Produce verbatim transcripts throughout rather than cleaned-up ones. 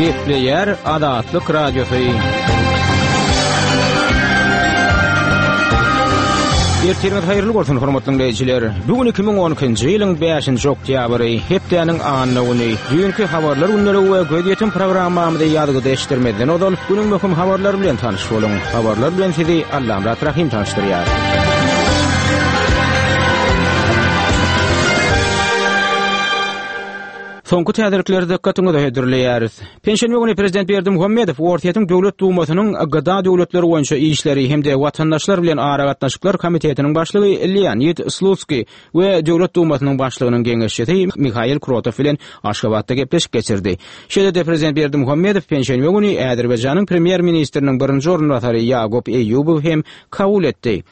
Gepleýär Azatlyk Radiosy. Ertiriňiz haýyrly bolsun, hormatly dinleýjiler. Bu gün iki müň on ikinji ýylyň bäşinji oktýabry, hepdäniň anna güni. Düýnki habarlar günleri we gözýetim programmamyzy ýazgyda eşitdirmezden ozal günüň möhüm habarlary bilen tanyş boluň. Habarlar bilen sizi Allamyrat Rahim tanyşdyrýar. Soňky täzelikleri dikkatiňize hödürleýäris. Penşenbe güni Prezident Berdimuhamedow Orsýetiň Döwlet Dumasynyň Gda döwletleri boýunça işleri hem-de watandaşlar bilen aragatnaşyklar komitetiniň başlygy Leonid Slutskiý we Döwlet Dumasynyň başlygynyň geňeşçisi Mihail Krotow bilen Aşgabatda gepleşik geçirdi. Şeýle-de Prezident Berdimuhamedow penşenbe güni Azerbaýjanyň premýer-ministriniň birinji orunbasary Ýakup Eýýubow hem kabul etdi.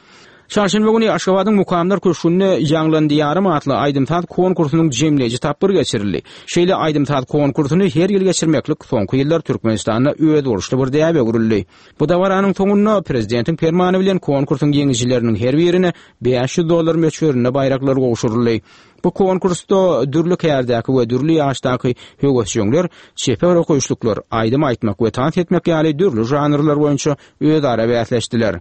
Çarşenbe güni Aşgabadyň Mukamlar köşgünde Ýaňlandy ýarym atly aýdym-saz konkursynyň jemleýji tapgyry geçirildi. Şeýle aýdym-saz konkursyny her ýyl geçirmeklik soňky ýyllar Türkmenistanda özboluşly bir däbe öwrüldi. Bu dabaranyň soňunda prezidentiň permany bilen konkursyň ýeňijileriniň her birine bäş ýüz dollar möçberinde baýraklar gowşuryldy. Bu konkursda dürli kärdäki we dürli ýaşdaky höwesjeňler, çeper okaýyşlyklar, aýdym aýtmak we tans etmek ýaly dürli žanrlar boýunça özara bäsleşdiler.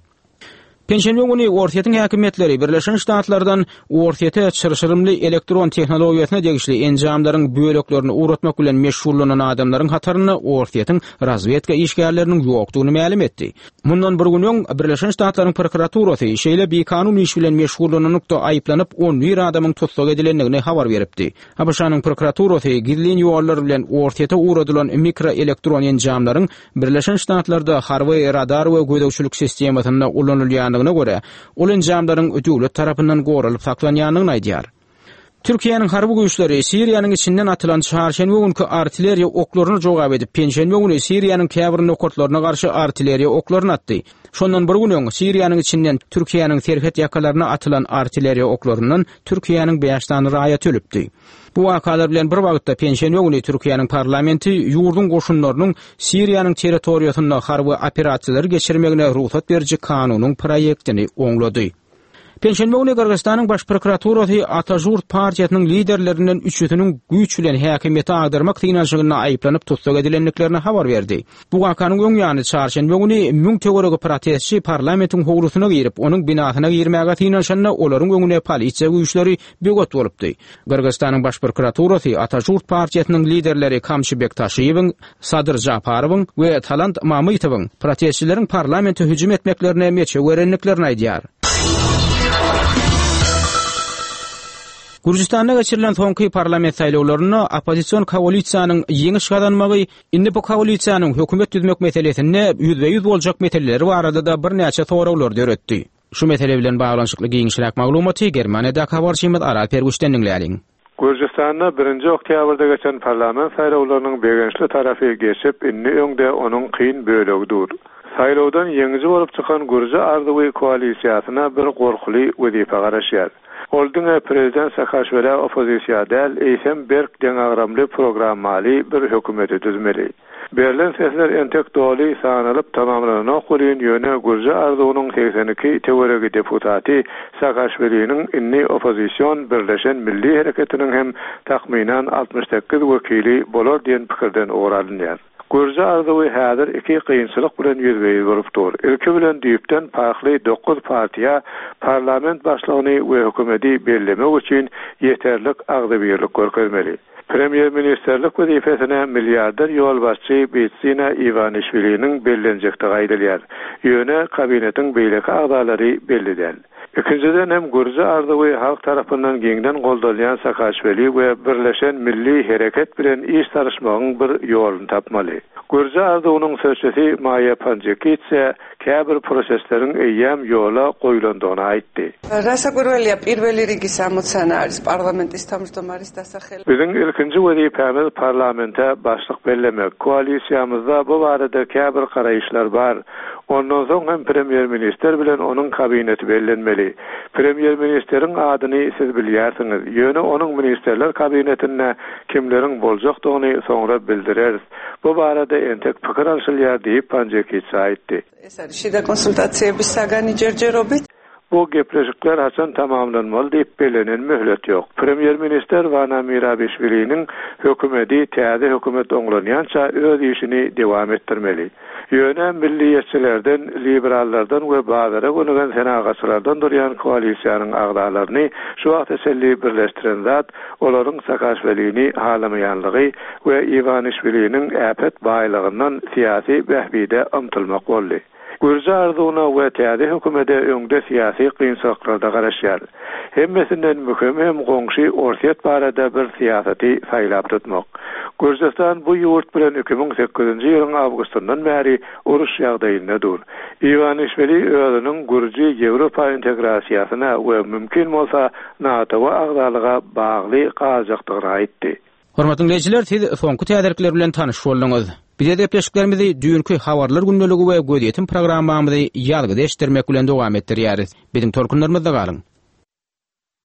Penşenbe güni Orsýetiň häkimiýetleri Birleşen Ştatlardan Orsýete çyrşyrymly elektron tehnologiýasyna degişli enjamlaryň böleklerini ugratmak bilen meşgullanan adamlaryň hatarynda Orsýetiň razwedka işgärleriniň ýokdugyny mälim etdi. Mundan bir gün öň Birleşen Ştatlaryň prokuraturasy şeýle bikanun iş bilen meşgullananlykda aýyplanyp on bir adamyň tussag edilendigini habar beripdi. A B Ş-nyň prokuraturasy gizlin ýollar bilen Orsýete ugradylan mikroelektron enjamlaryň Birleşen Ştatlarda harby radar we gözegçilik sistemasynda ulanylýandygyna görä, ol enjamlaryň döwlet tarapyndan goralyp saklanýandygyny aýdýar. Türkiýäniň harby güýçleri Siriýanyň içinden atylan çarşenbe günkü artilleriýa oklaryna jogap edip, penşenbe güni Siriýanyň käbir nokatlaryna garşy artilleriýa oklaryny atdy. Şondan bir gün öň Siriýanyň içinden Türkiýäniň serhet ýakalaryna atylan artilleriýa oklaryndan Türkiýäniň bäş sany raýaty ölüpdi. Bu wakalar bilen bir wagtda penşenbe güni Türkiýäniň parlamenti ýurduň goşunlarynyň Siriýanyň territoriýasynda harby operasiýalary geçirmegine rugsat beriji kanunyň proýektini oňlady. Penşenbe güni Gyrgyzystanyň baş prokuraturasy Atajurt partiýasynyň liderlerinden üçüsiniň güýç bilen häkimiýeti agdarmak synanyşygynda aýyplanyp tussag edilendiklerini habar berdi. Bu wakanyň öň ýany çarşenbe güni müň töweregi protestçi parlamentiň howlusyna girip, onuň binasyna girmäge synanyşanda olaryň öňüne polisiýa güýçleri böwet bolupdy. Gyrgyzystanyň baş prokuraturasy Atajurt partiýasynyň liderleri Kamçybek Taşiýewiň, Sadyr Japarowyň we Talant Mamytowyň protestçileriň parlamente hüjüm etmeklerine meçew berendiklerini aýdýar. Gürjüstanda geçirilen soňky parlament saýlawlarynda oppozision koalisiýanyň ýeňiş gazanmagy indi bu koalisiýanyň hökümet düzmek meselesinde ýüzbe-ýüz boljak meseleleri barada-da birnäçe soraglar döretdi. Şu mesele bilen baglanyşykly giňişräk maglumaty Germaniýadaky habarçymyz Aral Perguşdan diňläliň. Gürjüstanda birinji oktýabrda geçen parlament saýlawlarynyň begençli tarapy geçip, indi öňde onuň kyn bölegi dur. Saýlawdan ýeňiji bolup çykan Gürji Arzuwy koalisiýasyna bir gorkuly wezipe garaşýar. Ol diňe prezident Saakaşwilä oppozisiýa däl, eýsem berk deňagramly programmaly bir hökümeti düzmeli. Berlen sesler entek doly sanalyp tamamlananok welin, ýöne Gürji Arzuwynyň seksen iki töweregi deputaty Saakaşwiliniň indi oppozision Birleşen Milli Hereketiniň hem takmynan altmyş sekiz wekili bolar diýen pikirden ugur alynýar. Gürji Arzuwy häzir iki kynçylyk bilen ýüzbe-ýüz bolup dur. Ilki bilen düýpden parhly dokuz partiýa parlament başlygyny we hökümeti bellemek üçin ýeterlik agzybirlik görkezmeli. Premýer-ministerlik wezipesine milliarder ýolbaşçy Bidzina Iwanişwiliniň bellenjekdigi aýdylýar. Ýöne kabinetiň beýleki agzalary belli däl. Ikinjiden hem Gürji Arzuwy halk tarapyndan giňden goldalýan Saakaşwili we Birleşen Milli Hereket bilen iş salyşmagyň bir ýoluny tapmaly. Gürji Arzuwynyň sözçüsi Maýa Panjikitse käbir prosesleriň eýýäm ýola goýulandygyny aýtdy. Rasakurweliýa pirveli rigi samocana aris parlamentis თავმჯდომარის დასახელება. Biziň ilkinji wezipämiz parlamente başlyk bellemek. Koalisiýamyzda bu barada käbir garaýyşlar bar. Ondan soň hem premýer-ministr bilen onuň kabineti bellenmeli. Premýer-ministriň adyny siz bilýärsiňiz. Ýöne onuň ministerler kabinetinde kimleriň boljakdygyny soňra bildireris. Bu barada entek pikir alşylýar diýip Panjikitse aýtdy. ეს არის შიდა კონსულტაციების საგანი ჯერჯერობით. Bu gepleşikler haçan tamamlanmaly diýip bellenen möhlet ýok. Premýer ministr Vana Mirabişwiliniň hökümeti täze hökümet oňlanýança öz işini dowam etdirmeli. Ýöne milliýetçilerden, liberallardan we bazara gönügen senagatçylardan durýan koalisiýanyň agzalaryny şu wagta çenli birleşdiren zat olaryň Saakaşwilini halamaýanlygy we Iwanişwiliniň äpet baýlygyndan syýasy bähbide ymtylmak boldy. Gürji arzuwyna we täze hökümete öňde syýasy kynçylyklarda garaşýar. Hemmesinden möhüm hem goňşy Orsýet barada bir syýasaty saýlap tutmak. Gürjistan bu ýurt bilen iki müň sekizinji ýylyň awgustyndan bäri uruş ýagdaýynda dur. Iwanişwili özüniň Gürji Ýewropa integrasiýasyna we mümkin bolsa NATO agzalyga bagly galjakdygyny aýtdy. Hormatly dinleýjiler, siz soňky täzelikler bilen tanyş bolduňyz. Bize gepleşiklerimizi düýnki habarlar gündeligi we gözýetim programmamyzy ýazgyda eşitdirmek bilen dowam etdirýäris. Biziň tolkunlarymyzda galyň.